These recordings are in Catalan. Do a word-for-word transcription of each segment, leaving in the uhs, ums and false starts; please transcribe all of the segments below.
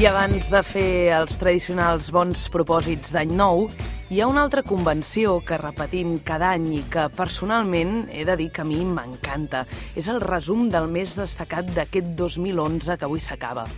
I abans de fer els tradicionals bons propòsits d'any nou, hi ha una altra convenció que repetim cada any i que personalment he de dir que a mi m'encanta. És el resum del més destacat d'aquest dos mil onze que avui s'acaba.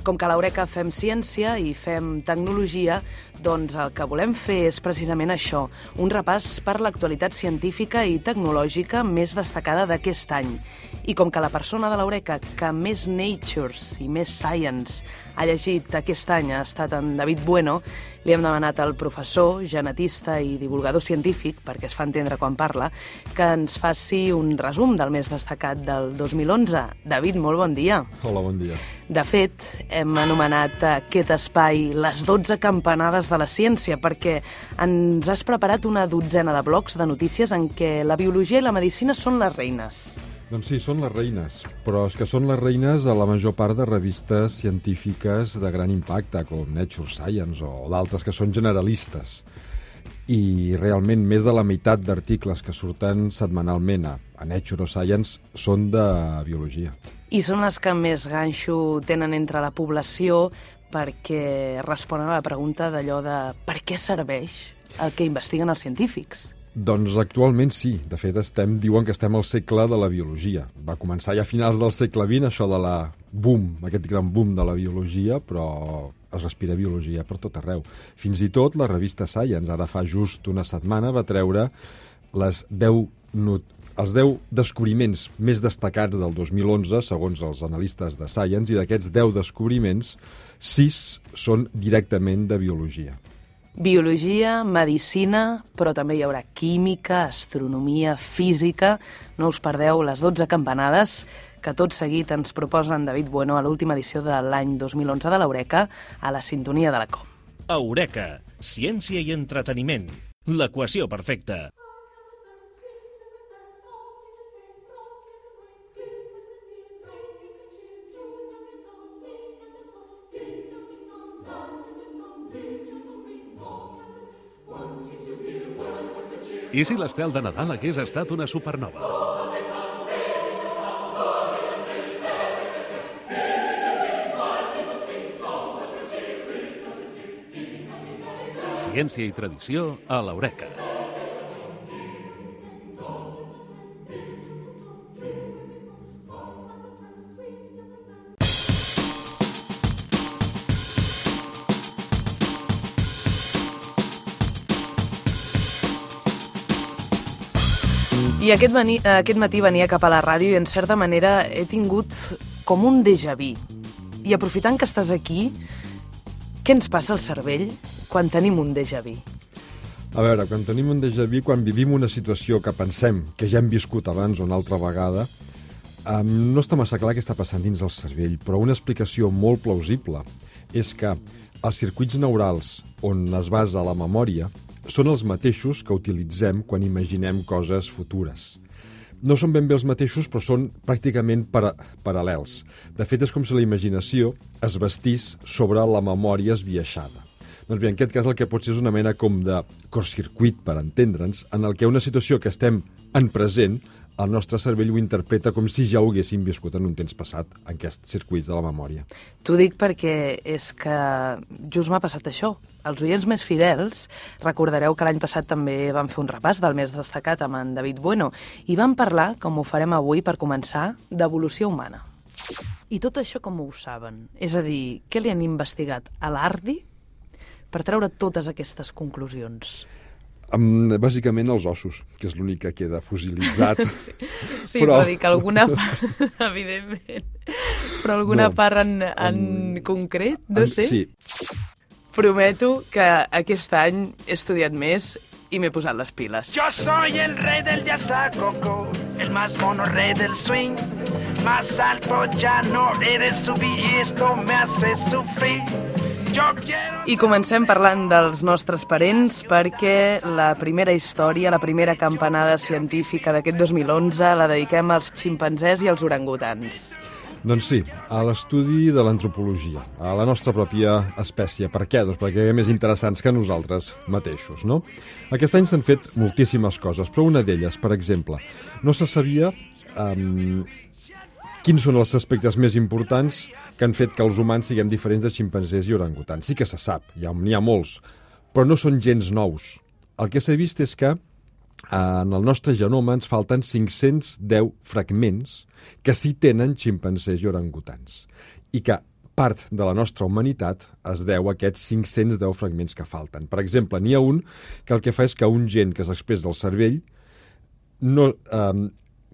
Com que a l'Eureka fem ciència i fem tecnologia, doncs el que volem fer és precisament això, un repàs per l'actualitat científica i tecnològica més destacada d'aquest any. I com que la persona de l'Eureka que més Natures i més Science ha llegit aquest any ha estat en David Bueno, li hem demanat al professor, genetista i divulgador científic, perquè es fa entendre quan parla, que ens faci un resum del més destacat del dos mil onze. David, molt bon dia. Hola, bon dia. De fet, hem anomenat aquest espai les dotze campanades de la ciència, perquè ens has preparat una dotzena de blocs de notícies en què la biologia i la medicina són les reines. Doncs sí, són les reines, però és que són les reines a la major part de revistes científiques de gran impacte, com Nature Science o d'altres que són generalistes. I realment més de la meitat d'articles que surten setmanalment a Nature o Science són de biologia. I són les que més ganxo tenen entre la població perquè responen a la pregunta d'allò de per què serveix el que investiguen els científics? Doncs actualment sí. De fet, estem, diuen que estem al segle de la biologia. Va començar ja a finals del segle vint, això de la boom, aquest gran boom de la biologia, però es respira biologia per tot arreu. Fins i tot la revista Science, ara fa just una setmana, va treure les deu not els deu descobriments més destacats del dos mil onze, segons els analistes de Science, i d'aquests deu descobriments, sis són directament de biologia. Biologia, medicina, però també hi haurà química, astronomia, física. No us perdeu les dotze campanades que tot seguit ens proposen David Bueno a l'última edició de l'any dos mil onze de l'Eureka, a la sintonia de la com. Eureka, ciència i entreteniment. L'equació perfecta. I si l'estel de Nadal hagués estat una supernova? Ciència i tradició a l'Eureka. I aquest, veni, aquest matí venia cap a la ràdio i en certa manera he tingut com un déjà vu. I aprofitant que estàs aquí, què ens passa al cervell quan tenim un déjà vu? A veure, quan tenim un déjà vu, quan vivim una situació que pensem que ja hem viscut abans o una altra vegada, um, no està massa clar què està passant dins el cervell, però una explicació molt plausible és que els circuits neurals on es basa la memòria són els mateixos que utilitzem quan imaginem coses futures. No són ben bé els mateixos, però són pràcticament para paral·lels. De fet, és com si la imaginació es vestís sobre la memòria esbiaixada. Doncs bé, en aquest cas el que pot ser és una mena com de cortcircuit, per entendre'ns, en el que una situació que estem en present, el nostre cervell ho interpreta com si ja ho haguéssim viscut en un temps passat, en aquests circuits de la memòria. T'ho dic perquè és que just m'ha passat això. Els oients més fidels recordareu que l'any passat també vam fer un repàs del més destacat amb en David Bueno i vam parlar, com ho farem avui per començar, d'evolució humana. I tot això com ho saben? És a dir, què li han investigat a l'Ardi per treure totes aquestes conclusions? Um, bàsicament els ossos, que és l'únic que queda fossilitzat. Sí, sí però... però dic alguna part, evidentment, però alguna no, part en, en um, concret, no en, sé. Sí. Prometo que aquest any he estudiat més i m'he posat les piles. Yo soy el rey del jazzacoco, el más mono rey del swing. Más alto ya no he de subir y esto me hace sufrir. I comencem parlant dels nostres parents perquè la primera història, la primera campanada científica d'aquest dos mil onze la dediquem als ximpanzés i als orangutans. Doncs sí, a l'estudi de l'antropologia, a la nostra pròpia espècie. Per què? Doncs perquè hi ha més interessants que nosaltres mateixos, no? Aquest any s'han fet moltíssimes coses, però una d'elles, per exemple, no se sabia um, quins són els aspectes més importants que han fet que els humans siguem diferents de ximpanzés i orangutans? Sí que se sap, n'hi ha, ha molts, però no són gens nous. El que s'ha vist és que en el nostre genoma ens falten cinc-cents deu fragments que sí tenen ximpanzés i orangutans, i que part de la nostra humanitat es deu a aquests cinc-cents deu fragments que falten. Per exemple, n'hi ha un que el que fa és que un gen que s'expressa del cervell no, eh,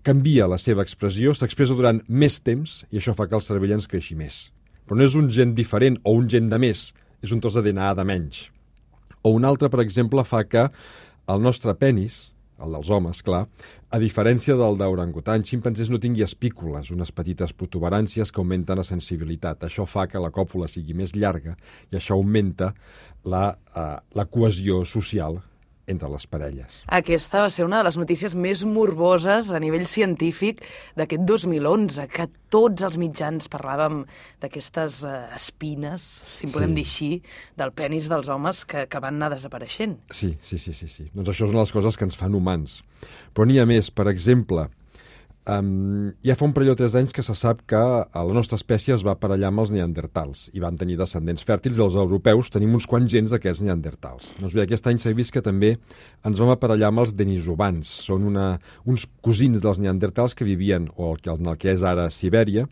canvia la seva expressió, s'expressa durant més temps i això fa que el cervell ens creixi més. Però no és un gen diferent o un gen de més, és un tros de D N A de menys. O un altre, per exemple, fa que el nostre penis, el dels homes, clar, a diferència del d'orangutan, ximpanzés no tingui espícules, unes petites protuberàncies que augmenten la sensibilitat. Això fa que la còpula sigui més llarga i això augmenta la, uh, la cohesió social entre les parelles. Aquesta va ser una de les notícies més morboses a nivell científic d'aquest dos mil onze, que tots els mitjans parlàvem d'aquestes uh, espines, si en podem Sí. dir així, del penis dels homes que, que van anar desapareixent. Sí, sí, sí, sí, sí. Doncs això és una de les coses que ens fan humans. Però n'hi ha més. Per exemple, um, ja fa un parell o tres anys que se sap que la nostra espècie es va aparellar amb els neandertals i van tenir descendents fèrtils. Els europeus tenim uns quants gens d'aquests neandertals. Doncs bé, aquest any s'ha vist que també ens vam aparellar amb els denisovans. Són una, uns cosins dels neandertals que vivien, o el que, en el que és ara Sibèria,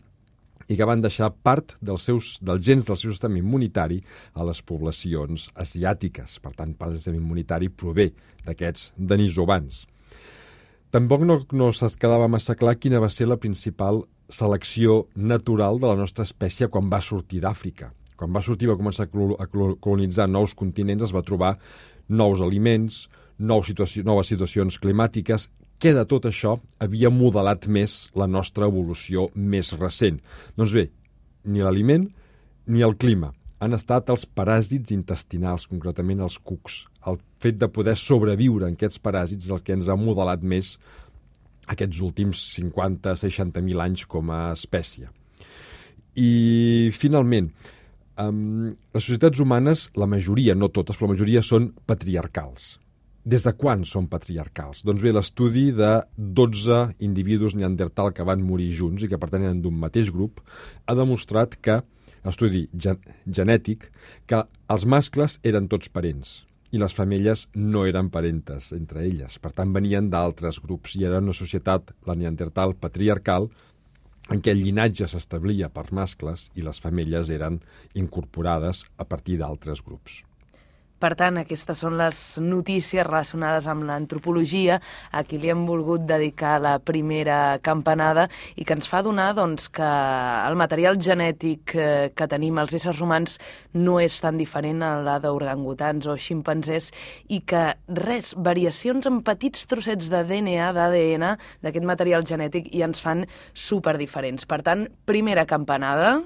i que van deixar part dels, seus, dels gens del seu sistema immunitari a les poblacions asiàtiques. Per tant, part del sistema immunitari prové d'aquests denisovans. Tampoc no, no es quedava massa clar quina va ser la principal selecció natural de la nostra espècie quan va sortir d'Àfrica. Quan va sortir, va començar a colonitzar nous continents, es va trobar nous aliments, nous situació, noves situacions climàtiques. Què de tot això havia modelat més la nostra evolució més recent? Doncs bé, ni l'aliment ni el clima. Han estat els paràsits intestinals, concretament els cucs. El fet de poder sobreviure en aquests paràsits és el que ens ha modelat més aquests últims cinquanta a seixanta mil anys com a espècie. I, finalment, um, les societats humanes, la majoria, no totes, però la majoria són patriarcals. Des de quan són patriarcals? Doncs bé, l'estudi de dotze individus neandertal que van morir junts i que pertanyen d'un mateix grup ha demostrat que, estudi gen genètic, que els mascles eren tots parents i les femelles no eren parentes entre elles. Per tant, venien d'altres grups i era una societat, la neandertal, patriarcal, en què el llinatge s'establia per mascles i les femelles eren incorporades a partir d'altres grups. Per tant, aquestes són les notícies relacionades amb l'antropologia a qui li hem volgut dedicar la primera campanada i que ens fa donar doncs, que el material genètic que tenim els éssers humans no és tan diferent a la d'orangutans o ximpanzés i que res, variacions en petits trossets de D N A, d'A D N d'aquest material genètic i ens fan superdiferents. Per tant, primera campanada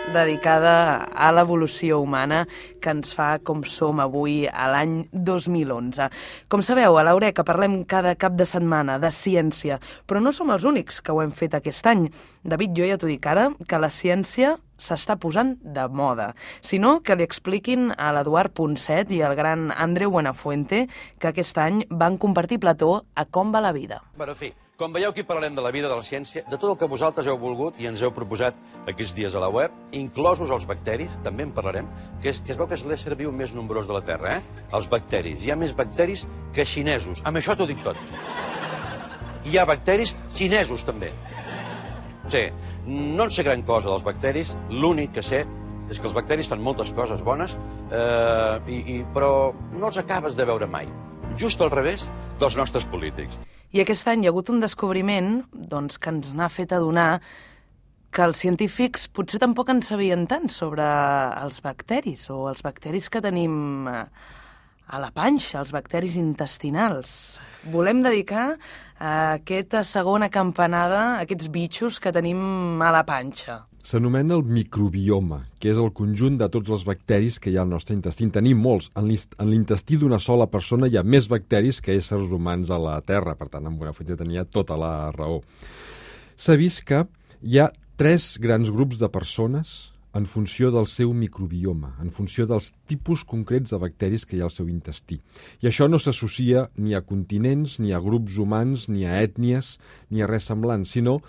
dedicada a l'evolució humana que ens fa com som avui a l'any dos mil onze. Com sabeu, a l'Eureka parlem cada cap de setmana de ciència, però no som els únics que ho hem fet aquest any. David, jo ja t'ho dic ara, que la ciència s'està posant de moda. Si no, que li expliquin a l'Eduard Ponset i al gran Andreu Buenafuente que aquest any van compartir plató a Com va la vida. Bueno, en fi, com veieu, aquí parlarem de la vida, de la ciència, de tot el que vosaltres heu volgut i ens heu proposat aquests dies a la web, inclosos els bacteris, també en parlarem, que es, que es veu que és l'ésser viu més nombrós de la Terra, eh? Els bacteris. Hi ha més bacteris que xinesos. Amb això t'ho dic tot. Hi ha bacteris xinesos, també. Sí, no en sé gran cosa dels bacteris, l'únic que sé és que els bacteris fan moltes coses bones, eh, i, i, però no els acabes de veure mai. Just al revés dels nostres polítics. I aquest any hi ha hagut un descobriment doncs, que ens n'ha fet adonar que els científics potser tampoc en sabien tant sobre els bacteris o els bacteris que tenim a la panxa, els bacteris intestinals. Volem dedicar a aquesta segona campanada a aquests bitxos que tenim a la panxa. S'anomena el microbioma, que és el conjunt de tots els bacteris que hi ha al nostre intestí. En tenim molts. En l'intestí d'una sola persona hi ha més bacteris que éssers humans a la Terra. Per tant, en Buenafuente tenia tota la raó. S'ha vist que hi ha tres grans grups de persones en funció del seu microbioma, en funció dels tipus concrets de bacteris que hi ha al seu intestí. I això no s'associa ni a continents, ni a grups humans, ni a ètnies, ni a res semblant, sinó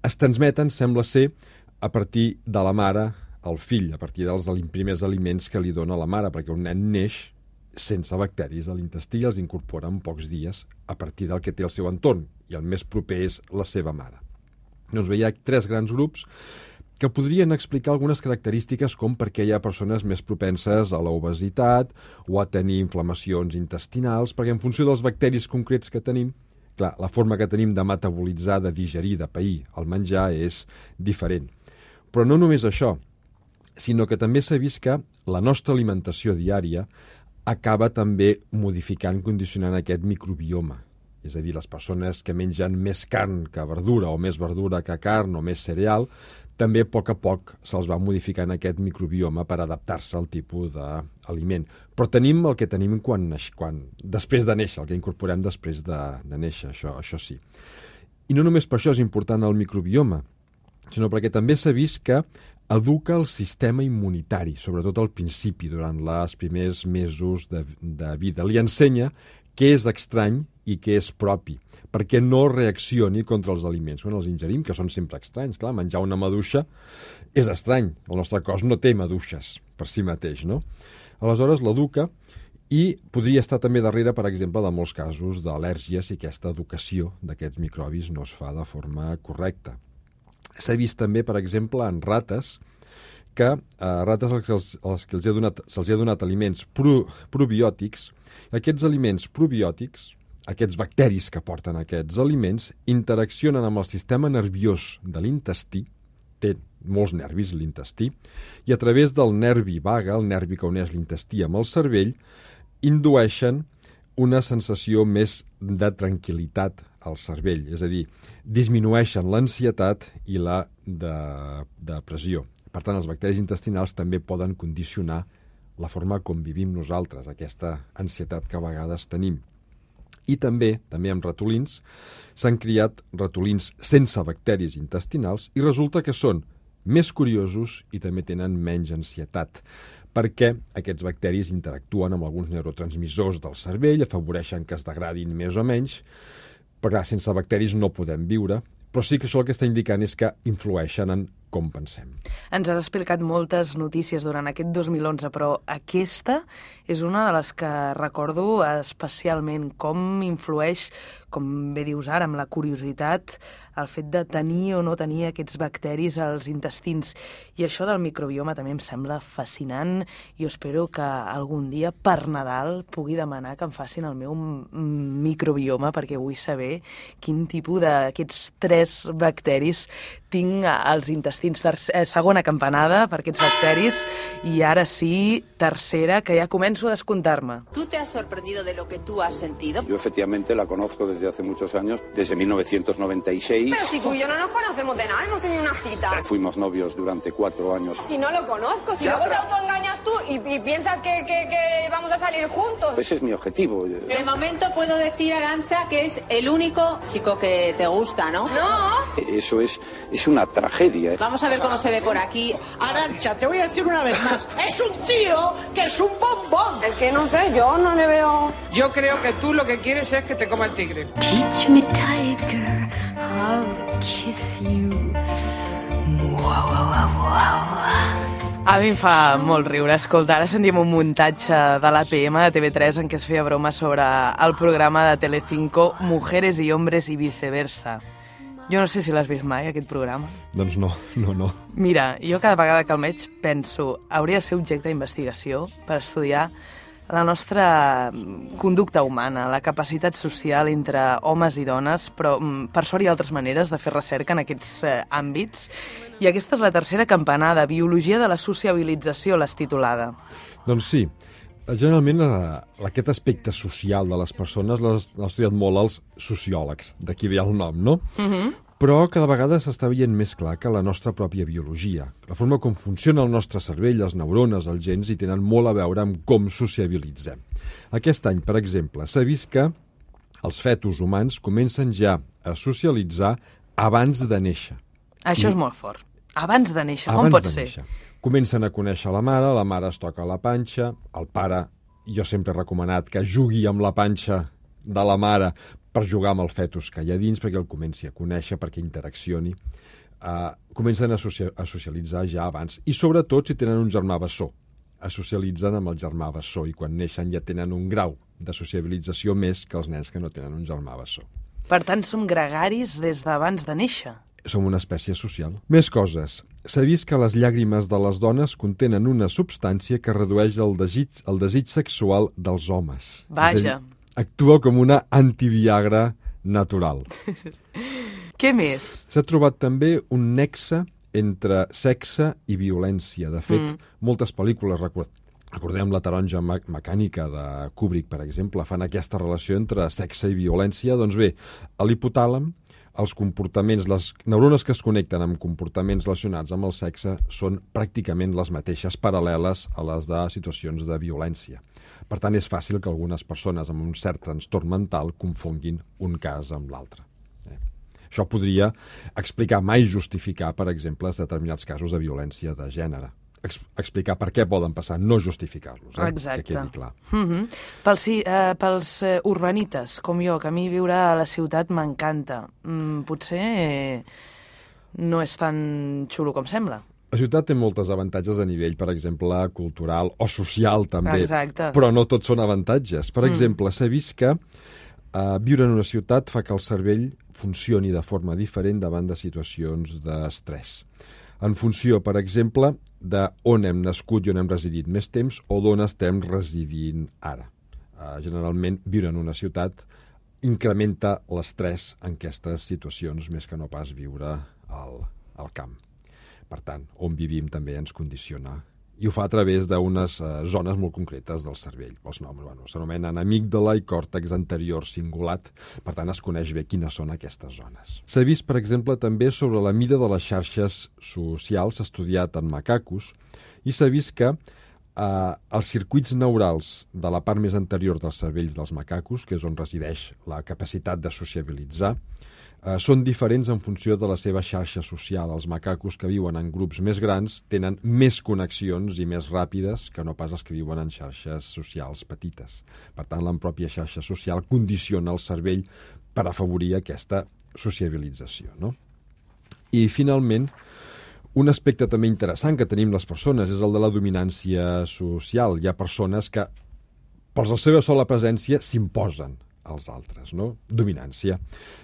es transmeten, sembla ser, a partir de la mare al fill, a partir dels primers aliments que li dona la mare, perquè un nen neix sense bacteris a l'intestí i els incorpora en pocs dies a partir del que té el seu entorn, i el més proper és la seva mare. Doncs bé, hi ha tres grans grups que podrien explicar algunes característiques com per què hi ha persones més propenses a l'obesitat o a tenir inflamacions intestinals, perquè en funció dels bacteris concrets que tenim, clar, la forma que tenim de metabolitzar, de digerir, de pair el menjar és diferent. Però no només això, sinó que també s'ha vist que la nostra alimentació diària acaba també modificant, condicionant aquest microbioma. És a dir, les persones que mengen més carn que verdura, o més verdura que carn, o més cereal, també a poc a poc se'ls va modificant aquest microbioma per adaptar-se al tipus d'aliment. Però tenim el que tenim quan, quan, després de néixer, el que incorporem després de, de néixer, això, això sí. I no només per això és important el microbioma, sinó perquè també s'ha vist que educa el sistema immunitari, sobretot al principi, durant els primers mesos de, de vida. Li ensenya què és estrany i què és propi, perquè no reaccioni contra els aliments quan els ingerim, que són sempre estranys. Clar, menjar una maduixa és estrany, el nostre cos no té maduixes per si mateix, no? Aleshores l'educa i podria estar també darrere, per exemple, de molts casos d'al·lèrgies si aquesta educació d'aquests microbis no es fa de forma correcta. S'ha vist també, per exemple, en rates, que a rates als que, els, als que els he donat, se'ls ha donat aliments pro, probiòtics. Aquests aliments probiòtics, aquests bacteris que porten aquests aliments, interaccionen amb el sistema nerviós de l'intestí, té molts nervis l'intestí, i a través del nervi vaga, el nervi que uneix l'intestí amb el cervell, indueixen una sensació més de tranquil·litat al cervell, és a dir, disminueixen l'ansietat i la de, depressió. Per tant, els bacteris intestinals també poden condicionar la forma com vivim nosaltres, aquesta ansietat que a vegades tenim. I també, també amb ratolins, s'han criat ratolins sense bacteris intestinals i resulta que són més curiosos i també tenen menys ansietat, perquè aquests bacteris interactuen amb alguns neurotransmissors del cervell, afavoreixen que es degradin més o menys, però sense bacteris no podem viure, però sí que això el que està indicant és que influeixen en com pensem. Ens has explicat moltes notícies durant aquest dos mil onze, però aquesta és una de les que recordo especialment, com influeix, com bé dius ara, amb la curiositat, el fet de tenir o no tenir aquests bacteris als intestins. I això del microbioma també em sembla fascinant. Jo espero que algun dia per Nadal pugui demanar que em facin el meu microbioma, perquè vull saber quin tipus d'aquests tres bacteris tinc als intestins. Tercer, segona campanada per aquests bacteris i ara sí, tercera, que ja començo a descomptar-me. ¿Tú te has sorprendido de lo que tú has sentido? Yo efectivamente la conozco desde hace muchos años, desde mil novecientos noventa y seis. Pero si tú y yo no nos conocemos de nada, hemos tenido una cita. Fuimos novios durante cuatro años. Si no lo conozco, si ya, luego pero... te autoengañas tú y, y piensas que, que, que vamos a salir juntos. Ese es mi objetivo. De momento puedo decir, Arantxa, que es el único chico que te gusta, ¿no? No. Eso es, es una tragedia. Vamos a ver cómo se ve por aquí. Arantxa, te voy a decir una vez más, es un tío que es un bombón. Es que no sé, yo no le veo... Yo creo que tú lo que quieres es que te coma el tigre. Teach me, tiger, I'll kiss you. Wow, wow, wow. A mi em fa molt riure. Escolta, ara sentim un muntatge de l'A P M de T V tres en què es feia broma sobre el programa de Telecinco Mujeres y Hombres y Viceversa. Jo no sé si l'has vist mai, aquest programa. Doncs no, no, no. Mira, jo cada vegada que el veig penso, hauria de ser objecte d'investigació per estudiar la nostra conducta humana, la capacitat social entre homes i dones, però per sort hi ha altres maneres de fer recerca en aquests eh, àmbits. I aquesta és la tercera campanada, Biologia de la sociabilització, l'has titulada. Doncs sí. Generalment, la, aquest aspecte social de les persones l'ha estudiat molt els sociòlegs, d'aquí ve el nom, no? Uh-huh. Però cada vegada s'està veient més clar que la nostra pròpia biologia, la forma com funciona el nostre cervell, les neurones, els gens, hi tenen molt a veure amb com sociabilitzem. Aquest any, per exemple, s'ha vist que els fetus humans comencen ja a socialitzar abans de néixer. Això és molt fort. Abans de néixer, com pot ser? Néixer. Comencen a conèixer la mare, la mare es toca la panxa, el pare, jo sempre he recomanat que jugui amb la panxa de la mare per jugar amb el fetus que hi ha dins, perquè el comenci a conèixer, perquè interaccioni. Uh, comencen a, socia a socialitzar ja abans. I sobretot si tenen un germà bessó. Es socialitzen amb el germà bessó i quan neixen ja tenen un grau de sociabilització més que els nens que no tenen un germà bessó. Per tant, som gregaris des d'abans de néixer. Som una espècie social. Més coses. S'ha vist que les llàgrimes de les dones contenen una substància que redueix el desig, el desig sexual dels homes. Vaja. Dir, actua com una antiviagra natural. Què més? S'ha trobat també un nexe entre sexe i violència. De fet, mm. moltes pel·lícules, record... recordem La taronja mecànica de Kubrick, per exemple, fan aquesta relació entre sexe i violència. Doncs bé, a l'hipotàlem, els comportaments, les neurones que es connecten amb comportaments relacionats amb el sexe són pràcticament les mateixes, paral·leles a les de situacions de violència. Per tant, és fàcil que algunes persones amb un cert trastorn mental confonguin un cas amb l'altre. Eh? Això podria explicar, mai justificar, per exemple, determinats casos de violència de gènere. Ex explicar per què poden passar, no justificar-los, eh? Exacte. Que quedi clar. Mm-hmm. Pels, eh, pels eh, urbanites, com jo, que a mi viure a la ciutat m'encanta, mm, potser eh, no és tan xulo com sembla. La ciutat té moltes avantatges a nivell, per exemple, cultural o social, també. Exacte. Però no tots són avantatges. Per Mm. exemple, s'ha vist que eh, viure en una ciutat fa que el cervell funcioni de forma diferent davant de situacions d'estrès. En funció, per exemple, d'on hem nascut i on hem residit més temps o d'on estem residint ara. Uh, generalment, viure en una ciutat incrementa l'estrès en aquestes situacions més que no pas viure al, al camp. Per tant, on vivim també ens condiciona. I ho fa a través d'unes uh, zones molt concretes del cervell. Els noms, bueno, s'anomenen amígdala i còrtex anterior cingulat, per tant es coneix bé quines són aquestes zones. S'ha vist, per exemple, també sobre la mida de les xarxes socials, s'ha estudiat en macacos, i s'ha vist que eh, els circuits neurals de la part més anterior dels cervells dels macacos, que és on resideix la capacitat de sociabilitzar, Uh, són diferents en funció de la seva xarxa social. Els macacos que viuen en grups més grans tenen més connexions i més ràpides que no pas els que viuen en xarxes socials petites. Per tant, la pròpia xarxa social condiciona el cervell per afavorir aquesta sociabilització, no? I, finalment, un aspecte també interessant que tenim les persones és el de la dominància social. Hi ha persones que, per la seva sola presència, s'imposen als altres, no? Dominància.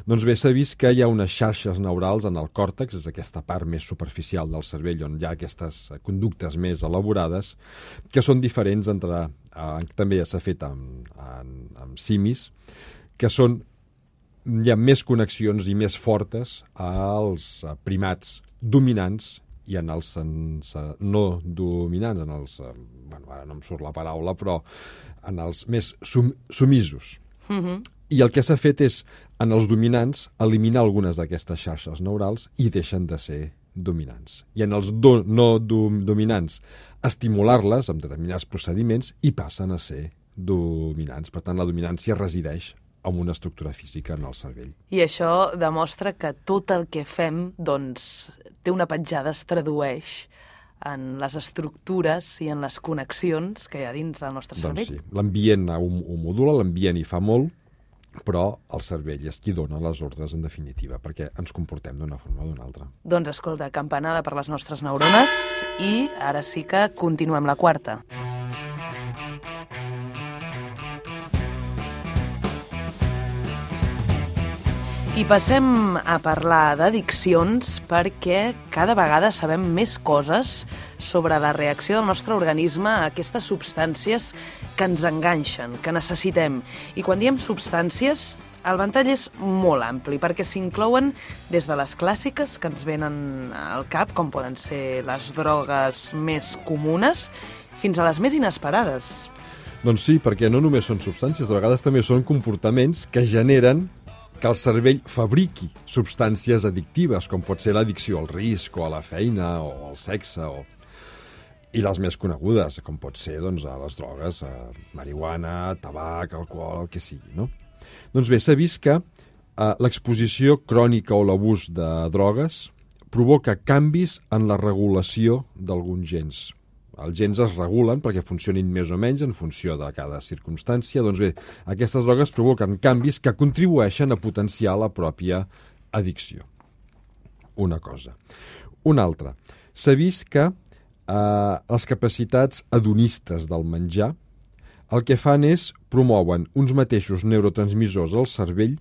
Doncs bé, s'ha vist que hi ha unes xarxes neurals en el còrtex, és aquesta part més superficial del cervell on hi ha aquestes conductes més elaborades, que són diferents entre... Eh, també s'ha fet amb, amb, amb simis, que són... hi ha més connexions i més fortes als primats dominants i en els sense, no dominants, en els... Bueno, ara no em surt la paraula, però en els més sum, sumisos. Mm-hmm. I el que s'ha fet és, en els dominants, eliminar algunes d'aquestes xarxes neurals i deixen de ser dominants. I en els do, no dom, dominants, estimular-les amb determinats procediments i passen a ser dominants. Per tant, la dominància resideix en una estructura física en el cervell. I això demostra que tot el que fem, doncs, té una petjada, es tradueix en les estructures i en les connexions que hi ha dins del nostre cervell. Doncs sí, l'ambient ho, ho modula, l'ambient hi fa molt, però el cervell és qui dona les ordres en definitiva, perquè ens comportem d'una forma o d'una altra. Doncs escolta, campanada per les nostres neurones i ara sí que continuem la quarta. I passem a parlar d'addiccions perquè cada vegada sabem més coses sobre la reacció del nostre organisme a aquestes substàncies que ens enganxen, que necessitem. I quan diem substàncies, el ventall és molt ampli, perquè s'inclouen des de les clàssiques que ens venen al cap, com poden ser les drogues més comunes, fins a les més inesperades. Doncs sí, perquè no només són substàncies, de vegades també són comportaments que generen que el cervell fabriqui substàncies addictives, com pot ser l'addicció al risc, o a la feina, o al sexe, o... i les més conegudes, com pot ser doncs, a les drogues, a marihuana, tabac, alcohol, el que sigui, no? Doncs bé, s'ha vist que eh, l'exposició crònica o l'abús de drogues provoca canvis en la regulació d'alguns gens. Els gens es regulen perquè funcionin més o menys en funció de cada circumstància. Doncs bé, aquestes drogues provoquen canvis que contribueixen a potenciar la pròpia addicció. Una cosa. Una altra. S'ha vist que eh, les capacitats hedonistes del menjar el que fan és promouen uns mateixos neurotransmissors al cervell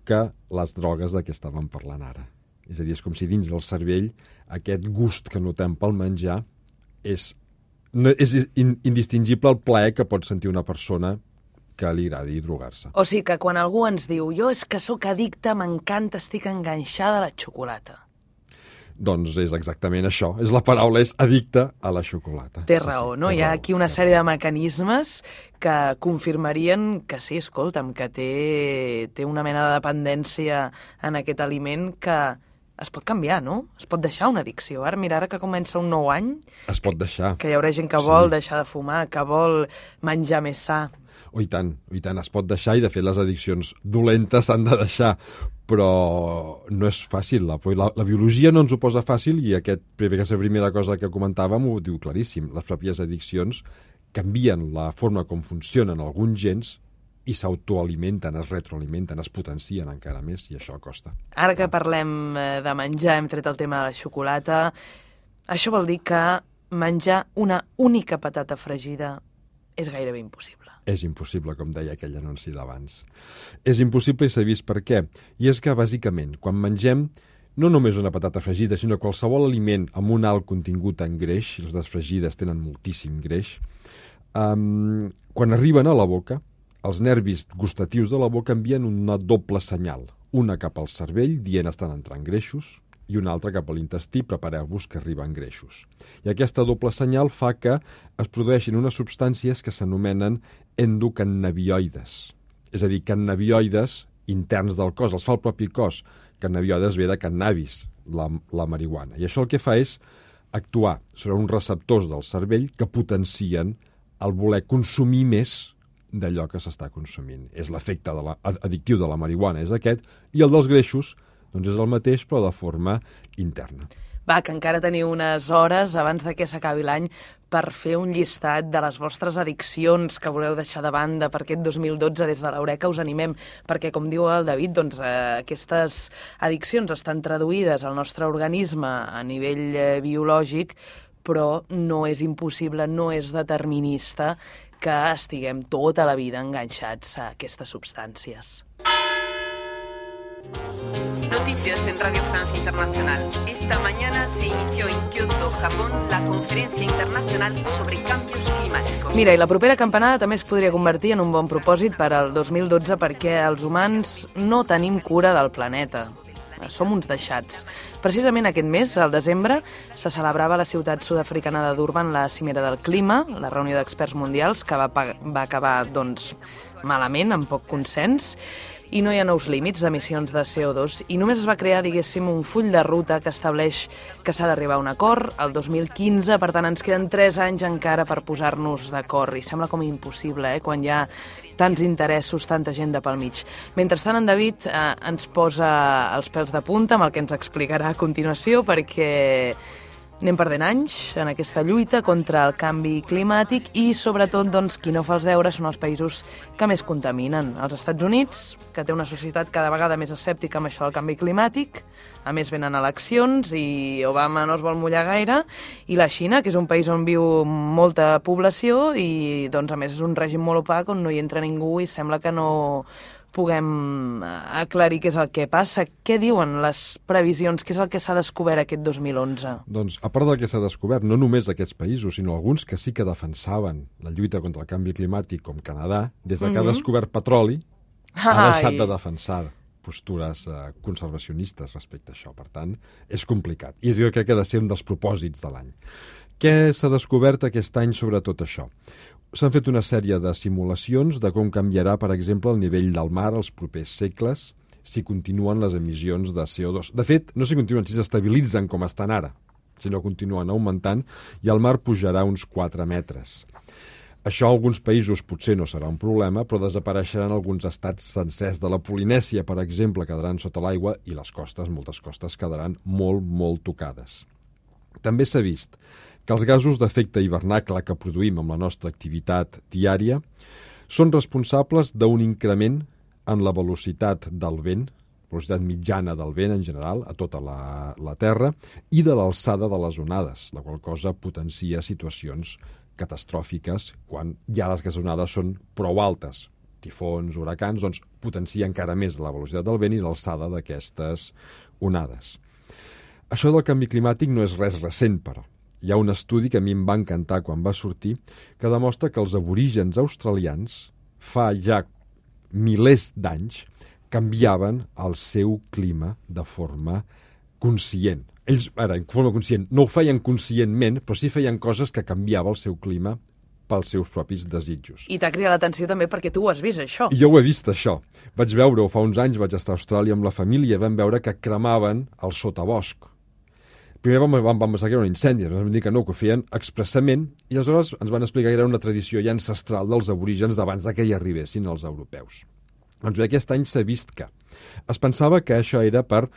que les drogues de què estàvem parlant ara. És a dir, és com si dins del cervell aquest gust que notem pel menjar és, no, és indistingible el plaer que pot sentir una persona que li agradi drogar-se. O sigui que quan algú ens diu jo és que sóc addicte, m'encanta, estic enganxada a la xocolata. Doncs és exactament això. És la paraula és addicte a la xocolata. Té raó, no? Hi ha aquí una sèrie de mecanismes que confirmarien que sí, escolta'm, que té, té una mena de dependència en aquest aliment que es pot canviar, no? Es pot deixar una addicció. Ara, mira, ara que comença un nou any... Es pot deixar. Que hi haurà gent que vol sí. deixar de fumar, que vol menjar més sa. Oh, i tant, i tant, es pot deixar i de fet les addiccions dolentes s'han de deixar, però no és fàcil. La, la, la biologia no ens ho posa fàcil i aquest, aquesta primera cosa que comentàvem ho diu claríssim. Les pròpies addiccions canvien la forma com funcionen alguns gens i s'autoalimenten, es retroalimenten, es potencien encara més i això costa. Ara que parlem de menjar, hem tret el tema de la xocolata, això vol dir que menjar una única patata fregida és gairebé impossible. És impossible, com deia aquell anunci d'abans. És impossible i s'ha vist per què. I és que, bàsicament, quan mengem no només una patata fregida, sinó qualsevol aliment amb un alt contingut en greix, les desfregides tenen moltíssim greix, um, quan arriben a la boca, els nervis gustatius de la boca envien una doble senyal, una cap al cervell, dient estan entrant greixos, i una altra cap a l'intestí, prepareu-vos que arriben greixos. I aquesta doble senyal fa que es produeixin unes substàncies que s'anomenen endocannabinoides. És a dir, cannabinoides interns del cos, els fa el propi cos. Cannabinoides ve de cannabis, la, la marihuana. I això el que fa és actuar sobre uns receptors del cervell que potencien el voler consumir més d'allò que s'està consumint. És l'efecte de la, addictiu de la marihuana, és aquest, i el dels greixos doncs és el mateix, però de forma interna. Va, que encara teniu unes hores abans de que s'acabi l'any per fer un llistat de les vostres addiccions que voleu deixar de banda per aquest dos mil dotze. Des de l'Eureka us animem, perquè, com diu el David, doncs, eh, aquestes addiccions estan traduïdes al nostre organisme a nivell eh, biològic, però no és impossible, no és determinista que estiguem tota la vida enganxats a aquestes substàncies. Noticias en Radio Francia Internacional. Esta mañana se inició en Kyoto, Japón, la Conferencia Internacional sobre Cambios Climáticos. Mira, i la propera campanada també es podria convertir en un bon propòsit per al dos mil dotze perquè els humans no tenim cura del planeta. Som uns deixats. Precisament aquest mes, al desembre, se celebrava a la ciutat sud-africana de Durban la Cimera del Clima, la reunió d'experts mundials, que va, va acabar doncs, malament, amb poc consens, i no hi ha nous límits d'emissions de C O dos, i només es va crear, diguéssim, un full de ruta que estableix que s'ha d'arribar a un acord el dos mil quinze, per tant ens queden tres anys encara per posar-nos d'acord, i sembla com impossible, eh, quan hi ha tants interessos, tanta gent de pel mig. Mentrestant, en David eh, ens posa els pèls de punta amb el que ens explicarà a continuació, perquè anem perdent anys en aquesta lluita contra el canvi climàtic i, sobretot, doncs, qui no fa els deures són els països que més contaminen. Els Estats Units, que té una societat cada vegada més escèptica amb això del canvi climàtic, a més venen eleccions i Obama no es vol mullar gaire, i la Xina, que és un país on viu molta població i, doncs, a més, és un règim molt opac on no hi entra ningú i sembla que no puguem aclarir què és el que passa. Què diuen les previsions? Què és el que s'ha descobert aquest dos mil onze? Doncs, a part del que s'ha descobert, no només aquests països, sinó alguns que sí que defensaven la lluita contra el canvi climàtic, com Canadà, des de que mm-hmm. ha descobert petroli, Ai. ha deixat de defensar postures eh, conservacionistes respecte a això. Per tant, és complicat. I jo crec que ha de ser un dels propòsits de l'any. Què s'ha descobert aquest any sobre tot això? S'han fet una sèrie de simulacions de com canviarà, per exemple, el nivell del mar els propers segles si continuen les emissions de C O dos. De fet, no si continuen, si s'estabilitzen com estan ara, sinó continuen augmentant i el mar pujarà uns quatre metres. Això a alguns països potser no serà un problema, però desapareixeran alguns estats sencers de la Polinèsia, per exemple, quedaran sota l'aigua i les costes, moltes costes, quedaran molt, molt tocades. També s'ha vist que els gasos d'efecte hivernacle que produïm amb la nostra activitat diària són responsables d'un increment en la velocitat del vent, velocitat mitjana del vent en general a tota la, la Terra, i de l'alçada de les onades, la qual cosa potencia situacions catastròfiques quan ja les onades són prou altes. Tifons, huracans, doncs potencia encara més la velocitat del vent i l'alçada d'aquestes onades. Això del canvi climàtic no és res recent, però. Hi ha un estudi que a mi em va encantar quan va sortir que demostra que els aborígens australians fa ja milers d'anys canviaven el seu clima de forma conscient. Ells, ara, en forma conscient, no ho feien conscientment, però sí feien coses que canviava el seu clima pels seus propis desitjos. I t'ha cridat l'atenció també perquè tu ho has vist, això. I jo ho he vist, això. Vaig veure-ho fa uns anys, vaig estar a Austràlia amb la família i vam veure que cremaven el sotabosc. Primer vam, vam, vam pensar que era un incendi, ens van dir que no, que ho feien expressament, i aleshores ens van explicar que era una tradició ja ancestral dels aborígens abans que hi arribessin els europeus. Doncs bé, aquest any s'ha vist que es pensava que això era per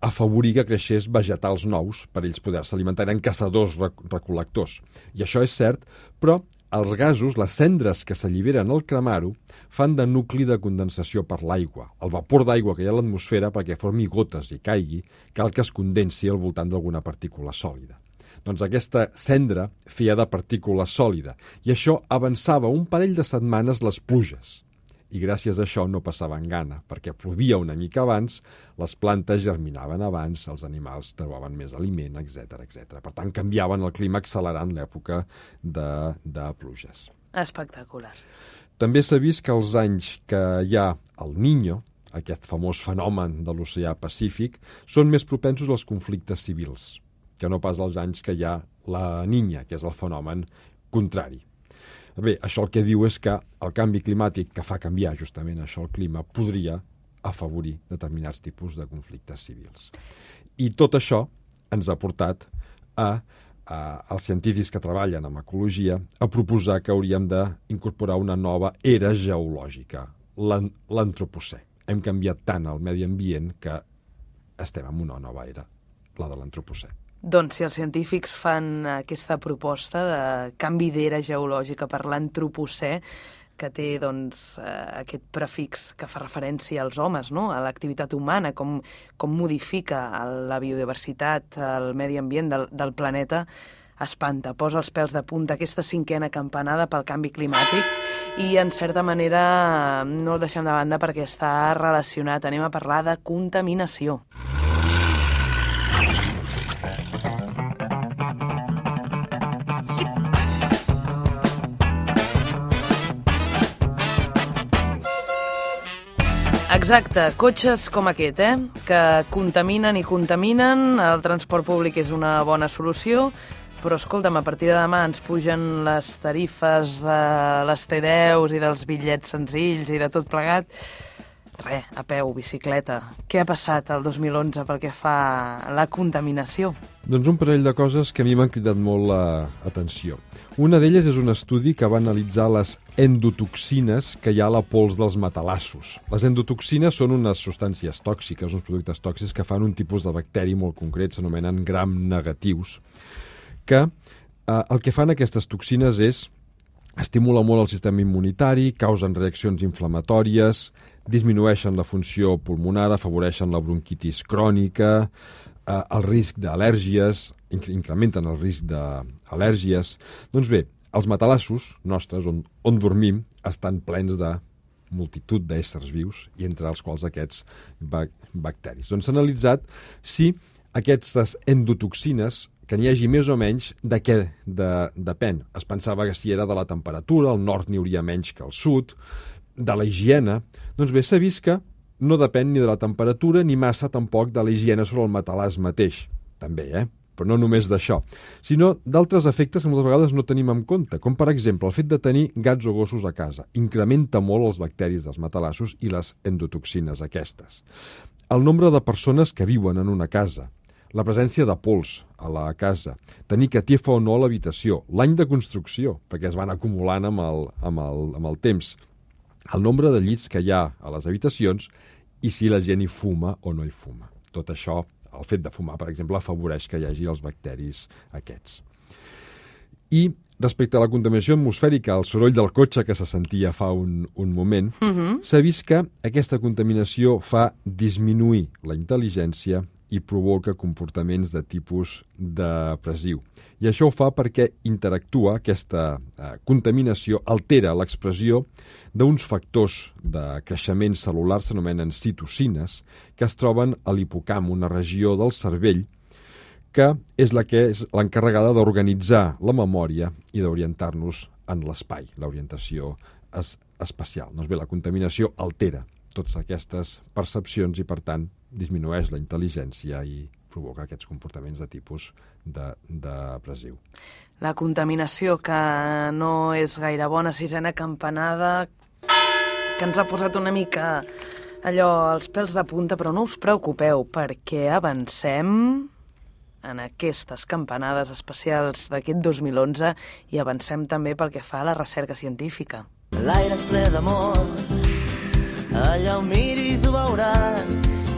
afavorir que creixés vegetals nous per ells poder-se alimentar. Eren caçadors recol·lectors. I això és cert, però els gasos, les cendres que s'alliberen al cremar-ho, fan de nucli de condensació per l'aigua. El vapor d'aigua que hi ha a l'atmosfera, perquè formi gotes i caigui, cal que es condensi al voltant d'alguna partícula sòlida. Doncs aquesta cendra feia de partícula sòlida, i això avançava un parell de setmanes les pluges. I gràcies a això no passaven gana, perquè plovia una mica abans, les plantes germinaven abans, els animals trobaven més aliment, etcètera, etcètera. Per tant, canviaven el clima accelerant l'època de, de pluges. Espectacular. També s'ha vist que els anys que hi ha el Niño, aquest famós fenomen de l'oceà Pacífic, són més propensos als conflictes civils, que no pas els anys que hi ha la Niña, que és el fenomen contrari. Bé, això el que diu és que el canvi climàtic que fa canviar justament això el clima podria afavorir determinats tipus de conflictes civils. I tot això ens ha portat a, a als científics que treballen amb ecologia a proposar que hauríem d'incorporar una nova era geològica, l'antropocè. Hem canviat tant el medi ambient que estem en una nova era, la de l'antropocè. Doncs si els científics fan aquesta proposta de canvi d'era geològica per l'antropocè, que té doncs, aquest prefix que fa referència als homes, no? A l'activitat humana, com, com modifica la biodiversitat, el medi ambient del, del planeta, espanta, posa els pèls de punta aquesta cinquena campanada pel canvi climàtic i, en certa manera, no el deixem de banda perquè està relacionat. Anem a parlar de contaminació. Exacte, cotxes com aquest, eh? Que contaminen i contaminen, el transport públic és una bona solució, però escolta'm, a partir de demà ens pugen les tarifes de les T deu i dels bitllets senzills i de tot plegat. Re, a peu, bicicleta. Què ha passat el dos mil onze pel que fa a la contaminació? Doncs un parell de coses que a mi m'han cridat molt l'atenció. Una d'elles és un estudi que va analitzar les endotoxines que hi ha a la pols dels matalassos. Les endotoxines són unes substàncies tòxiques, uns productes tòxics que fan un tipus de bacteri molt concret, s'anomenen gram negatius, que eh, el que fan aquestes toxines és estimular molt el sistema immunitari, causen reaccions inflamatòries, disminueixen la funció pulmonar, afavoreixen la bronquitis crònica, eh, el risc d'al·lèrgies, incrementen el risc d'al·lèrgies. Doncs bé, els matalassos nostres, on, on dormim, estan plens de multitud d'éssers vius, i entre els quals aquests bac bacteris. Doncs s'ha analitzat si aquestes endotoxines, que n'hi hagi més o menys, de què de, depèn. Es pensava que si era de la temperatura, al nord n'hi hauria menys que al sud, de la higiene. Doncs bé, s'ha vist que no depèn ni de la temperatura ni massa tampoc de la higiene sobre el matalàs mateix. També, eh? Però no només d'això, sinó d'altres efectes que moltes vegades no tenim en compte, com per exemple el fet de tenir gats o gossos a casa. Incrementa molt els bacteris dels matalassos i les endotoxines aquestes. El nombre de persones que viuen en una casa, la presència de pols a la casa, tenir catifa o no a l'habitació, l'any de construcció, perquè es van acumulant amb el, amb el, amb el temps, el nombre de llits que hi ha a les habitacions i si la gent hi fuma o no hi fuma. Tot això, el fet de fumar, per exemple, afavoreix que hi hagi els bacteris aquests. I respecte a la contaminació atmosfèrica, el soroll del cotxe que se sentia fa un, un moment, Mhm. s'ha vist que aquesta contaminació fa disminuir la intel·ligència i provoca comportaments de tipus depressiu. I això ho fa perquè interactua, aquesta eh, contaminació altera l'expressió d'uns factors de creixement cel·lular, s'anomenen citocines, que es troben a l'hipocamp, una regió del cervell que és la que és l'encarregada d'organitzar la memòria i d'orientar-nos en l'espai, l'orientació es, espacial. Doncs bé, la contaminació altera totes aquestes percepcions i, per tant, disminueix la intel·ligència i provoca aquests comportaments de tipus de, depressiu. La contaminació, que no és gaire bona, sisena campanada, que ens ha posat una mica allò als pèls de punta, però no us preocupeu, perquè avancem en aquestes campanades especials d'aquest dos mil onze i avancem també pel que fa a la recerca científica. L'aire és ple d'amor, allà on miris ho veuràs.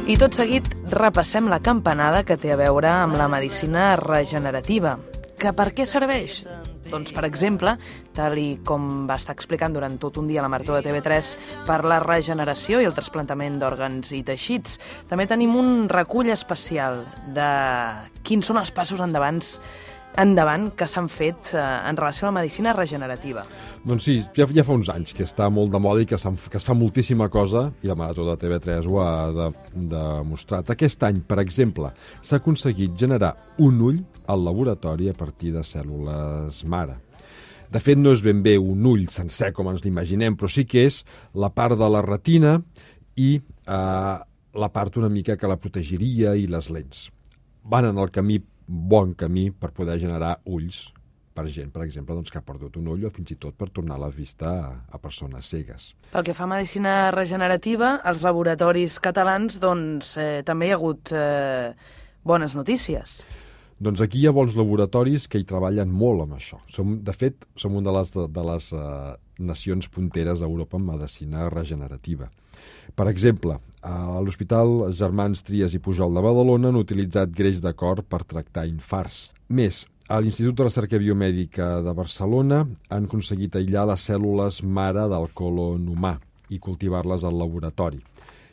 I tot seguit repassem la campanada que té a veure amb la medicina regenerativa. Que per què serveix? Doncs, per exemple, tal i com va estar explicant durant tot un dia a la Marató de T V tres, per la regeneració i el trasplantament d'òrgans i teixits. També tenim un recull especial de quins són els passos endavant endavant que s'han fet eh, en relació a la medicina regenerativa. Doncs sí, ja, ja fa uns anys que està molt de moda i que, que es fa moltíssima cosa, i la Marató de T V tres ho ha de, demostrat. Aquest any, per exemple, s'ha aconseguit generar un ull al laboratori a partir de cèl·lules mare. De fet, no és ben bé un ull sencer com ens l'imaginem, però sí que és la part de la retina i eh, la part una mica que la protegiria i les lents. Van en el camí bon camí per poder generar ulls per gent, per exemple, doncs, que ha perdut un ull o fins i tot per tornar la vista a, a persones cegues. Pel que fa a medicina regenerativa, als laboratoris catalans doncs, eh, també hi ha hagut eh, bones notícies. Doncs aquí hi ha bons laboratoris que hi treballen molt amb això. Som, de fet, som una de les, de, de les uh, nacions punteres a Europa en medicina regenerativa. Per exemple, a l'Hospital Germans Trias i Pujol de Badalona han utilitzat greix de cor per tractar infarts. Més, a l'Institut de Recerca Biomèdica de Barcelona han aconseguit aïllar les cèl·lules mare del colon humà i cultivar-les al laboratori.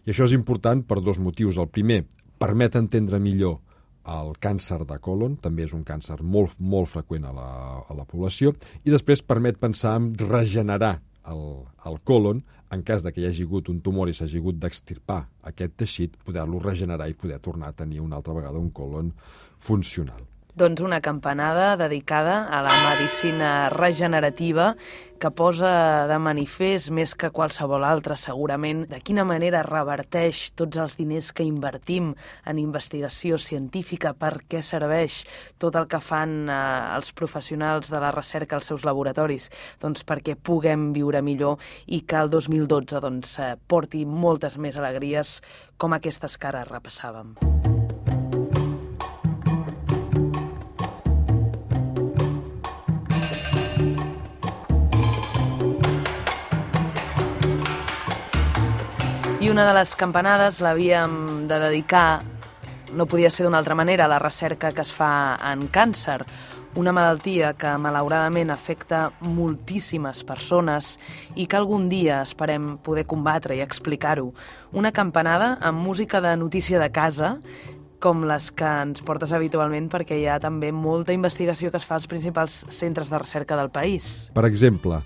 I això és important per dos motius. El primer, permet entendre millor el càncer de colon, també és un càncer molt, molt freqüent a la, a la població, i després permet pensar en regenerar el, el colon, en cas de que hi hagi hagut un tumor i s'hagi hagut d'extirpar aquest teixit, poder-lo regenerar i poder tornar a tenir una altra vegada un colon funcional. Doncs una campanada dedicada a la medicina regenerativa que posa de manifest més que qualsevol altra, segurament, de quina manera reverteix tots els diners que invertim en investigació científica, per què serveix tot el que fan eh, els professionals de la recerca als seus laboratoris, doncs perquè puguem viure millor i que el dos mil dotze doncs, eh, porti moltes més alegries com aquestes que ara repassàvem. I una de les campanades l'havíem de dedicar, no podia ser d'una altra manera, a la recerca que es fa en càncer, una malaltia que malauradament afecta moltíssimes persones i que algun dia esperem poder combatre i explicar-ho. Una campanada amb música de notícia de casa, com les que ens portes habitualment, perquè hi ha també molta investigació que es fa als principals centres de recerca del país. Per exemple,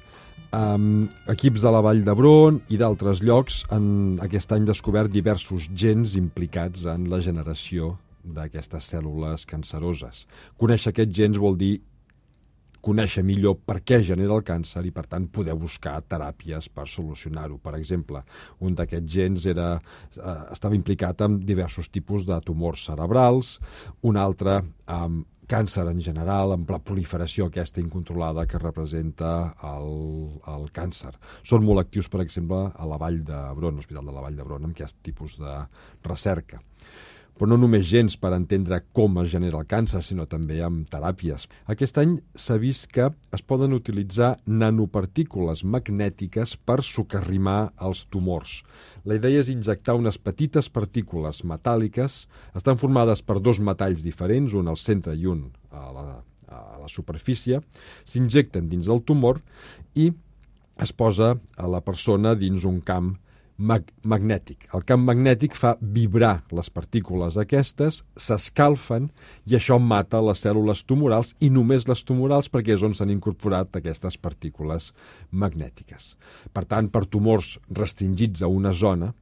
Um, equips de la Vall d'Hebron i d'altres llocs han aquest any descobert diversos gens implicats en la generació d'aquestes cèl·lules canceroses. Conèixer aquests gens vol dir conèixer millor per què genera el càncer i, per tant, poder buscar teràpies per solucionar-ho. Per exemple, un d'aquests gens era, eh, estava implicat en diversos tipus de tumors cerebrals, un altre amb càncer en general, amb la proliferació aquesta incontrolada que representa el, el càncer. Són molt actius, per exemple, a la Vall d'Hebron, l'Hospital de la Vall d'Hebron, amb aquest tipus de recerca. Però no només gens per entendre com es genera el càncer, sinó també amb teràpies. Aquest any s'ha vist que es poden utilitzar nanopartícules magnètiques per socarrimar els tumors. La idea és injectar unes petites partícules metàl·liques, estan formades per dos metalls diferents, un al centre i un a la, a la superfície, s'injecten dins del tumor i es posa a la persona dins un camp mag magnètic. El camp magnètic fa vibrar les partícules aquestes, s'escalfen i això mata les cèl·lules tumorals i només les tumorals perquè és on s'han incorporat aquestes partícules magnètiques. Per tant, per tumors restringits a una zona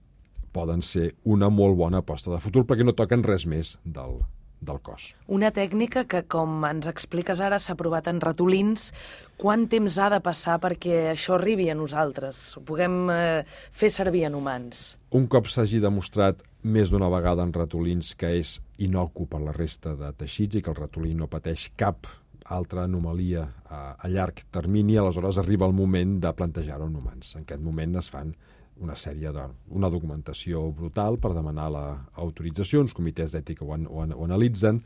poden ser una molt bona aposta de futur perquè no toquen res més del, del cos. Una tècnica que, com ens expliques ara, s'ha provat en ratolins. Quant temps ha de passar perquè això arribi a nosaltres? Ho puguem eh, fer servir en humans? Un cop s'hagi demostrat més d'una vegada en ratolins que és inocu per la resta de teixits i que el ratolí no pateix cap altra anomalia a, a llarg termini, aleshores arriba el moment de plantejar-ho en humans. En aquest moment es fan una sèrie de, una documentació brutal per demanar l'autorització, uns comitès d'ètica ho, ho, ho analitzen,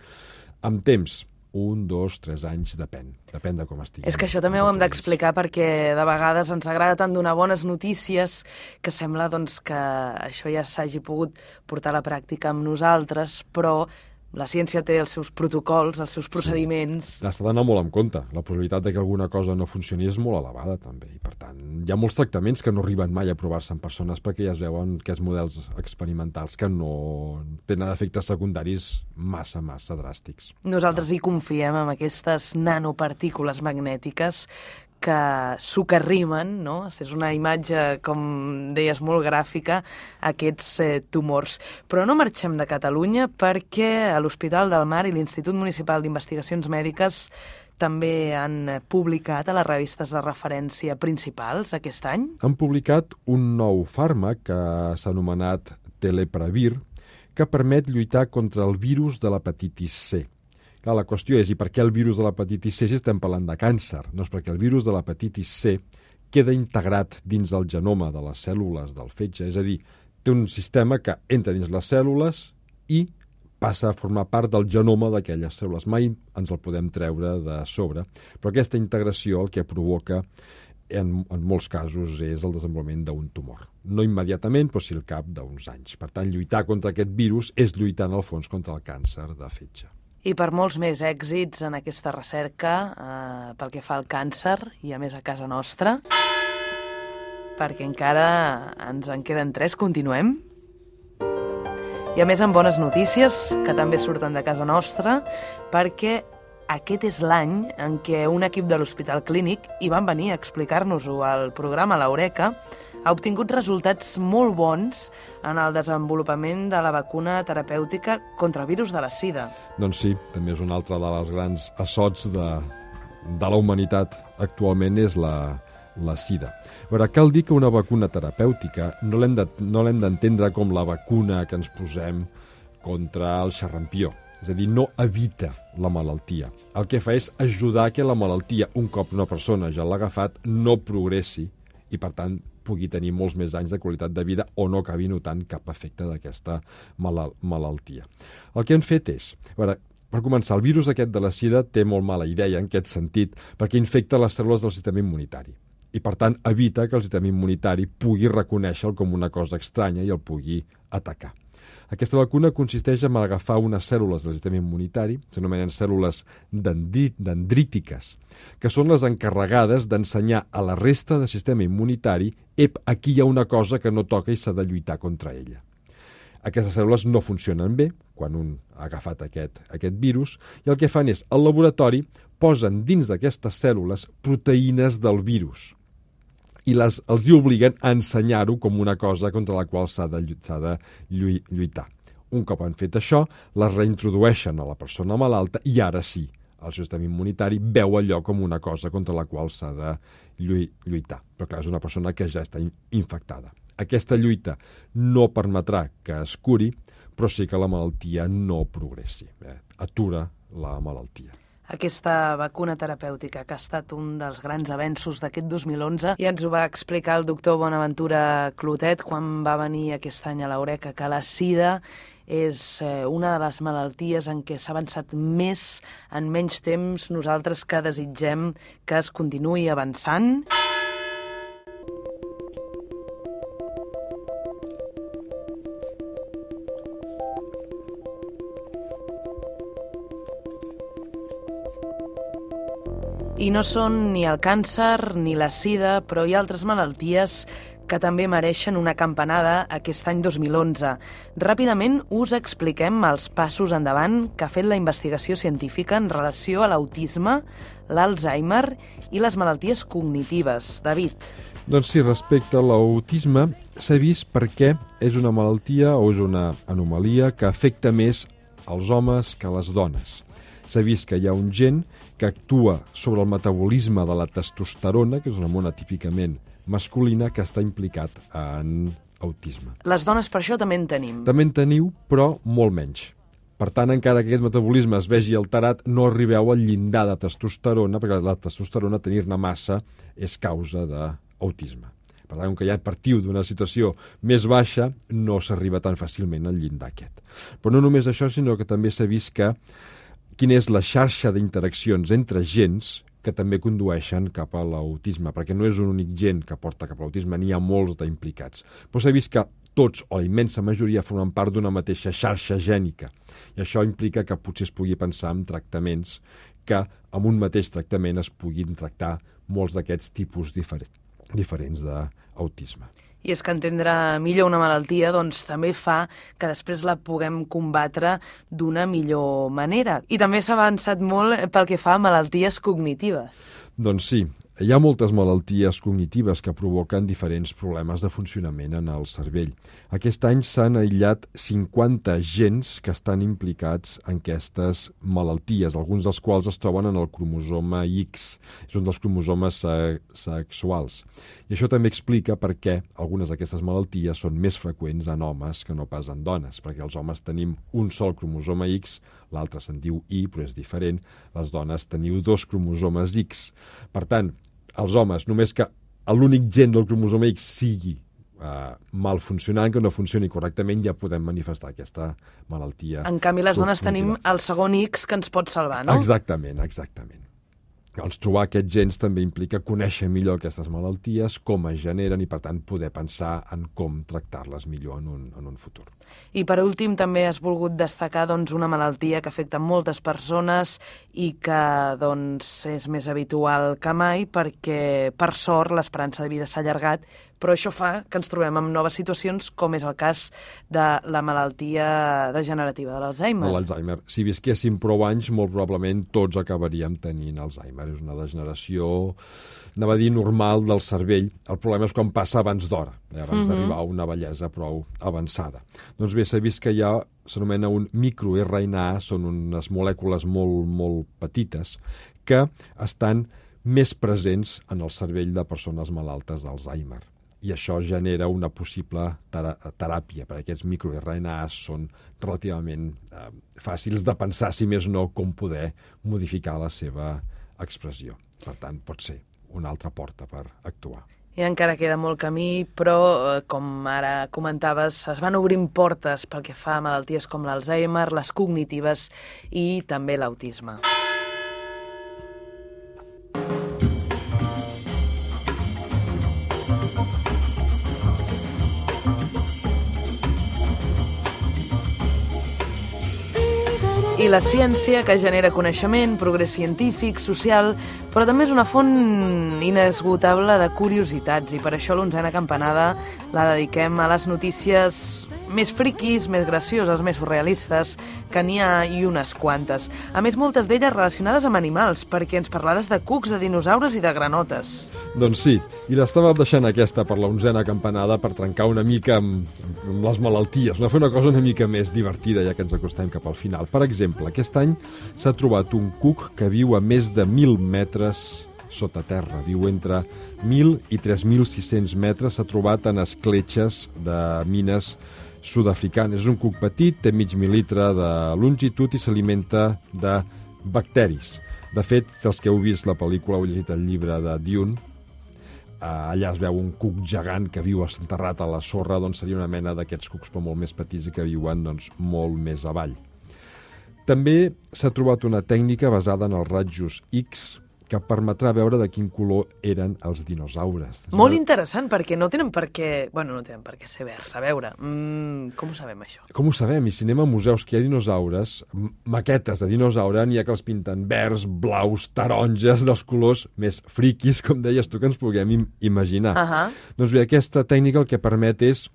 amb temps, un, dos, tres anys, depèn, depèn de com estigui. És que això també ho hem d'explicar perquè de vegades ens agrada tant donar bones notícies que sembla doncs, que això ja s'hagi pogut portar a la pràctica amb nosaltres, però la ciència té els seus protocols, els seus procediments... Sí. S'ha d'anar molt en compte. La probabilitat de que alguna cosa no funcioni és molt elevada, també. I, per tant, hi ha molts tractaments que no arriben mai a provar-se en persones perquè ja es veuen aquests models experimentals que no tenen efectes secundaris massa, massa dràstics. Nosaltres hi confiem en aquestes nanopartícules magnètiques que socarrimen, no? És una imatge, com deies, molt gràfica, aquests eh, tumors. Però no marxem de Catalunya perquè a l'Hospital del Mar i l'Institut Municipal d'Investigacions Mèdiques també han publicat a les revistes de referència principals aquest any. Han publicat un nou fàrmac que s'ha anomenat Telepravir, que permet lluitar contra el virus de l'hepatitis C. Clar, la qüestió és, i per què el virus de l'hepatitis C si estem parlant de càncer? No és perquè el virus de l'hepatitis C queda integrat dins el genoma de les cèl·lules del fetge, és a dir, té un sistema que entra dins les cèl·lules i passa a formar part del genoma d'aquelles cèl·lules. Mai ens el podem treure de sobre, però aquesta integració el que provoca en, en molts casos és el desenvolupament d'un tumor. No immediatament, però sí al cap d'uns anys. Per tant, lluitar contra aquest virus és lluitar, en el fons, contra el càncer de fetge. I per molts més èxits en aquesta recerca eh, pel que fa al càncer, i a més a casa nostra, perquè encara ens en queden tres, continuem. I a més amb bones notícies, que també surten de casa nostra, perquè aquest és l'any en què un equip de l'Hospital Clínic, i van venir a explicar-nos-ho al programa L'Eureka, ha obtingut resultats molt bons en el desenvolupament de la vacuna terapèutica contra el virus de la sida. Doncs sí, també és un altre de les grans assots de, de la humanitat actualment és la, la sida. A veure, cal dir que una vacuna terapèutica no l'hem de, no l'hem d'entendre com la vacuna que ens posem contra el xarrampió. És a dir, no evita la malaltia. El que fa és ajudar que la malaltia, un cop una persona ja l'ha agafat, no progressi i, per tant, pugui tenir molts més anys de qualitat de vida o no acabi notant cap efecte d'aquesta malal malaltia. El que hem fet és, a veure, per començar, el virus aquest de la sida té molt mala idea en aquest sentit perquè infecta les cèl·lules del sistema immunitari i, per tant, evita que el sistema immunitari pugui reconèixer-lo com una cosa estranya i el pugui atacar. Aquesta vacuna consisteix en agafar unes cèl·lules del sistema immunitari, s'anomenen cèl·lules dendrítiques, que són les encarregades d'ensenyar a la resta del sistema immunitari ep, aquí hi ha una cosa que no toca i s'ha de lluitar contra ella. Aquestes cèl·lules no funcionen bé quan un ha agafat aquest, aquest virus i el que fan és, al laboratori, posen dins d'aquestes cèl·lules proteïnes del virus i les, els hi obliguen a ensenyar-ho com una cosa contra la qual s'ha de, de lluitar. Un cop han fet això, les reintrodueixen a la persona malalta i ara sí, el sistema immunitari veu allò com una cosa contra la qual s'ha de lluitar. Però clar, és una persona que ja està infectada. Aquesta lluita no permetrà que es curi, però sí que la malaltia no progressi. Eh? Atura la malaltia. Aquesta vacuna terapèutica, que ha estat un dels grans avenços d'aquest dos mil onze, i ens ho va explicar el doctor Bonaventura Clotet quan va venir aquest any a l'Eureka, que la sida és una de les malalties en què s'ha avançat més en menys temps. Nosaltres que desitgem que es continuï avançant. I no són ni el càncer ni la sida, però hi ha altres malalties que també mereixen una campanada aquest any dos mil onze. Ràpidament us expliquem els passos endavant que ha fet la investigació científica en relació a l'autisme, l'Alzheimer i les malalties cognitives. David. Doncs sí, respecte a l'autisme, s'ha vist per què és una malaltia o és una anomalia que afecta més als homes que a les dones. S'ha vist que hi ha un gen que actua sobre el metabolisme de la testosterona, que és una hormona típicament masculina, que està implicat en autisme. Les dones per això també en tenim. També en teniu, però molt menys. Per tant, encara que aquest metabolisme es vegi alterat, no arribeu al llindar de testosterona, perquè la testosterona, tenir-ne massa, és causa d'autisme. Per tant, com que ja partiu d'una situació més baixa, no s'arriba tan fàcilment al llindar aquest. Però no només això, sinó que també s'ha vist que quina és la xarxa d'interaccions entre gens que també condueixen cap a l'autisme, perquè no és un únic gen que porta cap a l'autisme, n'hi ha molts d'implicats. Però s'ha vist que tots, o la immensa majoria, formen part d'una mateixa xarxa gènica. I això implica que potser es pugui pensar en tractaments que amb un mateix tractament es puguin tractar molts d'aquests tipus diferent, diferents d'autisme. I és que entendre millor una malaltia doncs, també fa que després la puguem combatre d'una millor manera. I també s'ha avançat molt pel que fa a malalties cognitives. Doncs sí, hi ha moltes malalties cognitives que provoquen diferents problemes de funcionament en el cervell. Aquest any s'han aïllat cinquanta gens que estan implicats en aquestes malalties, alguns dels quals es troben en el cromosoma X, és un dels cromosomes sexuals. I això també explica per què algunes d'aquestes malalties són més freqüents en homes que no pas en dones, perquè els homes tenim un sol cromosoma X, l'altre se'n diu Y, però és diferent, les dones teniu dos cromosomes X. Per tant, els homes, només que l'únic gen del cromosoma X sigui eh, mal funcionant, que no funcioni correctament, ja podem manifestar aquesta malaltia. En canvi, les dones tenim el segon X que ens pot salvar, no? Exactament, exactament. Doncs trobar aquests gens també implica conèixer millor aquestes malalties, com es generen i, per tant, poder pensar en com tractar-les millor en un, en un futur. I, per últim, també has volgut destacar doncs, una malaltia que afecta moltes persones i que doncs, és més habitual que mai perquè, per sort, l'esperança de vida s'ha allargat, però això fa que ens trobem en noves situacions, com és el cas de la malaltia degenerativa de l'Alzheimer. De l'Alzheimer. Si visquéssim prou anys, molt probablement tots acabaríem tenint Alzheimer. És una degeneració, anava a dir, normal del cervell. El problema és quan passa abans d'hora, eh? abans mm-hmm. d'arribar a una bellesa prou avançada. Doncs bé, s'ha vist que hi ha, s'anomena un microR N A, són unes molècules molt, molt petites, que estan més presents en el cervell de persones malaltes d'Alzheimer. I això genera una possible teràpia, perquè aquests microR N A són relativament eh, fàcils de pensar, si més no, com poder modificar la seva expressió. Per tant, pot ser una altra porta per actuar. I encara queda molt camí, però, com ara comentaves, es van obrint portes pel que fa a malalties com l'Alzheimer, les cognitives i també l'autisme. I la ciència, que genera coneixement, progrés científic, social, però també és una font inesgotable de curiositats i per això l'onzena campanada la dediquem a les notícies més friquis, més gracioses, més surrealistes, que n'hi ha i unes quantes. A més, moltes d'elles relacionades amb animals, perquè ens parlaràs de cucs, de dinosaures i de granotes. Doncs sí, i l'estava deixant aquesta per la onzena campanada per trencar una mica amb, amb les malalties, no fer una cosa una mica més divertida ja que ens acostem cap al final. Per exemple, aquest any s'ha trobat un cuc que viu a més de mil metres sota terra, viu entre mil i tres mil sis-cents metres, s'ha trobat en escletxes de mines sud-africanes. És un cuc petit, té mig mil·litre de longitud i s'alimenta de bacteris. De fet, els que heu vist la pel·lícula o heu llegit el llibre de Dune, allà es veu un cuc gegant que viu enterrat a la sorra, doncs seria una mena d'aquests cucs però molt més petits i que viuen doncs, molt més avall. També s'ha trobat una tècnica basada en els rajos X que permetrà veure de quin color eren els dinosaures. Molt interessant, perquè no tenen per què... Bueno, no tenen per què ser verds, a veure. Mm, com ho sabem, això? Com ho sabem? I si anem a museus que hi ha dinosaures, maquetes de dinosaure, n'hi ha que els pinten verds, blaus, taronges, dels colors més friquis, com deies tu, que ens puguem im imaginar. Uh -huh. Doncs bé, aquesta tècnica el que permet és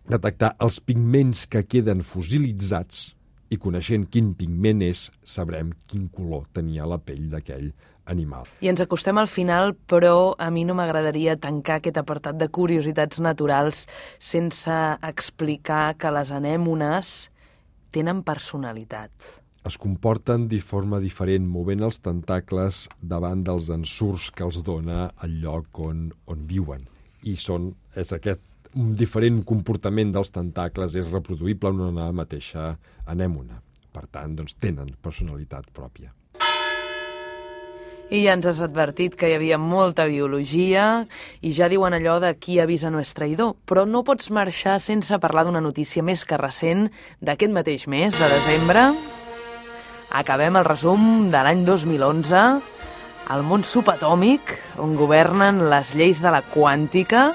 detectar els pigments que queden fossilitzats i coneixent quin pigment és, sabrem quin color tenia la pell d'aquell animal. I ens acostem al final, però a mi no m'agradaria tancar aquest apartat de curiositats naturals sense explicar que les anèmones tenen personalitat. Es comporten de forma diferent, movent els tentacles davant dels ensurts que els dona el lloc on, on viuen. I són, és aquest un diferent comportament dels tentacles és reproduïble en una mateixa anèmona. Per tant, doncs, tenen personalitat pròpia. I ja ens has advertit que hi havia molta biologia i ja diuen allò de qui avisa no és traïdor, però no pots marxar sense parlar d'una notícia més que recent d'aquest mateix mes de desembre. Acabem el resum de l'any dos mil onze, al món subatòmic, on governen les lleis de la quàntica.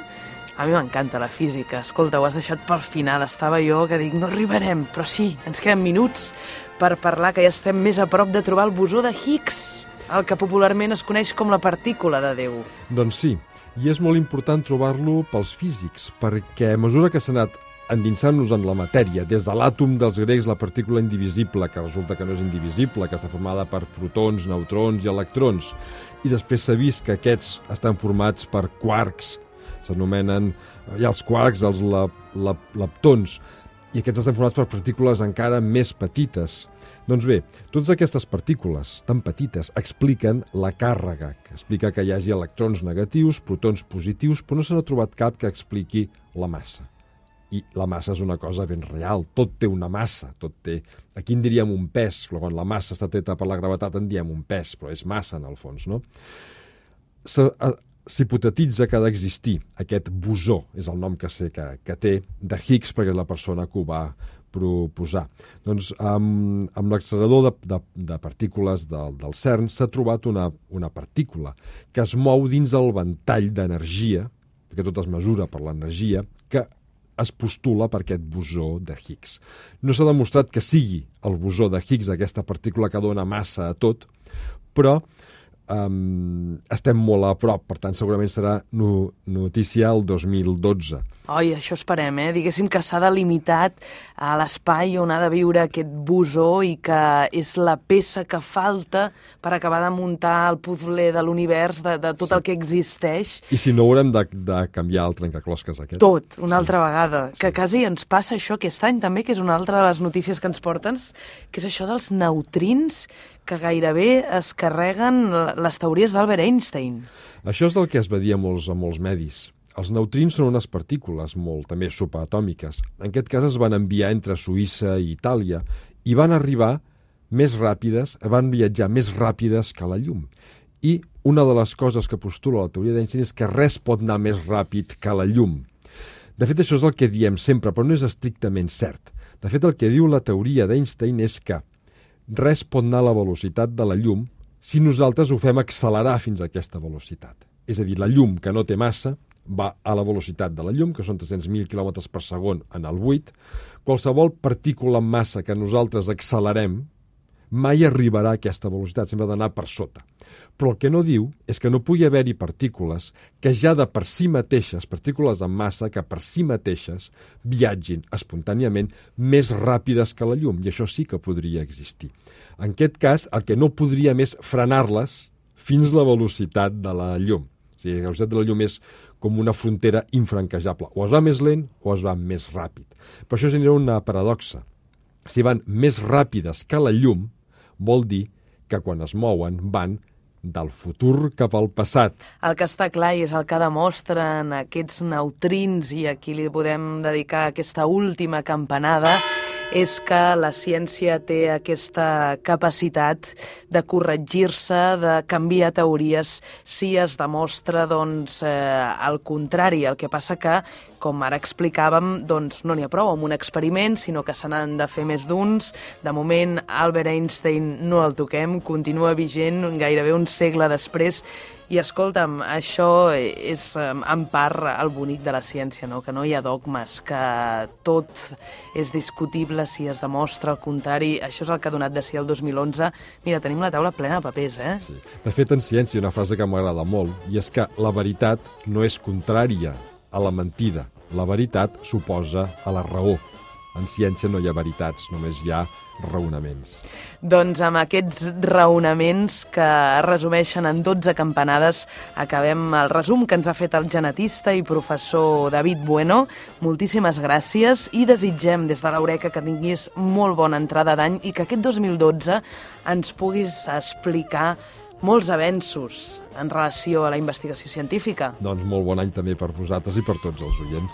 A mi m'encanta la física. Escolta, ho has deixat pel final. Estava jo que dic, no arribarem, però sí, ens queden minuts per parlar que ja estem més a prop de trobar el bosó de Higgs, el que popularment es coneix com la partícula de Déu. Doncs sí, i és molt important trobar-lo pels físics, perquè a mesura que s'ha anat endinsant-nos en la matèria, des de l'àtom dels grecs, la partícula indivisible, que resulta que no és indivisible, que està formada per protons, neutrons i electrons, i després s'ha vist que aquests estan formats per quarks, s'anomenen ja els quarks, els lap, lap, leptons, i aquests estan formats per partícules encara més petites. Doncs bé, totes aquestes partícules tan petites expliquen la càrrega, que explica que hi hagi electrons negatius, protons positius, però no se n'ha trobat cap que expliqui la massa. I la massa és una cosa ben real, tot té una massa, tot té... Aquí en diríem un pes, però quan la massa està treta per la gravetat en diem un pes, però és massa en el fons, no? S'hipotetitza que ha d'existir aquest bosó, és el nom que sé que, que té, de Higgs, perquè és la persona que ho va proposar. Doncs amb, amb l'accelerador de, de, de partícules del, del CERN s'ha trobat una, una partícula que es mou dins el ventall d'energia, perquè tot es mesura per l'energia, que es postula per aquest bosó de Higgs. No s'ha demostrat que sigui el bosó de Higgs, aquesta partícula que dona massa a tot, però um, estem molt a prop, per tant segurament serà no, notícia el dos mil dotze. Oi, això esperem, eh? Diguéssim que s'ha delimitat a l'espai on ha de viure aquest bosó i que és la peça que falta per acabar de muntar el puzzle de l'univers, de, de tot sí. el que existeix. I si no haurem de, de canviar el trencaclosques aquest? Tot, una sí. altra vegada. Que sí. quasi ens passa això aquest any també, que és una altra de les notícies que ens porten, que és això dels neutrins que gairebé es carreguen les teories d'Albert Einstein. Això és el que es va dir a molts, a molts medis. Els neutrins són unes partícules molt també subatòmiques. En aquest cas es van enviar entre Suïssa i Itàlia i van arribar més ràpides, van viatjar més ràpides que la llum. I una de les coses que postula la teoria d'Einstein és que res pot anar més ràpid que la llum. De fet, això és el que diem sempre, però no és estrictament cert. De fet, el que diu la teoria d'Einstein és que res pot anar a la velocitat de la llum si nosaltres ho fem accelerar fins a aquesta velocitat. És a dir, la llum, que no té massa, va a la velocitat de la llum, que són tres-cents mil quilòmetres per segon en el buit. Qualsevol partícula en massa que nosaltres accelerem mai arribarà a aquesta velocitat, sempre ha d'anar per sota. Però el que no diu és que no pugui haver-hi partícules que ja de per si mateixes, partícules en massa, que per si mateixes viatgin espontàniament més ràpides que la llum, i això sí que podria existir. En aquest cas, el que no podríem és frenar-les fins a la velocitat de la llum. O sigui, la velocitat de la llum és com una frontera infranquejable. O es va més lent o es va més ràpid. Per això genera una paradoxa. Si van més ràpides que la llum, vol dir que quan es mouen van del futur cap al passat. El que està clar i és el que demostren aquests neutrins, i aquí li podem dedicar aquesta última campanada, és que la ciència té aquesta capacitat de corregir-se, de canviar teories, si es demostra doncs, eh, el contrari. El que passa que, com ara explicàvem, doncs, no n'hi ha prou amb un experiment, sinó que se n'han de fer més d'uns. De moment, Albert Einstein no el toquem, continua vigent gairebé un segle després. I escolta'm, això és en part el bonic de la ciència, no? Que no hi ha dogmes, que tot és discutible si es demostra el contrari. Això és el que ha donat de si el dos mil onze. Mira, tenim la taula plena de papers, eh? Sí. De fet, en ciència hi ha una frase que m'agrada molt, i és que la veritat no és contrària a la mentida. La veritat s'oposa a la raó. En ciència no hi ha veritats, només hi ha raonaments. Doncs amb aquests raonaments que es resumeixen en dotze campanades acabem el resum que ens ha fet el genetista i professor David Bueno. Moltíssimes gràcies i desitgem des de l'Eureka que tinguis molt bona entrada d'any i que aquest dos mil dotze ens puguis explicar molts avenços en relació a la investigació científica. Doncs molt bon any també per vosaltres i per tots els oients.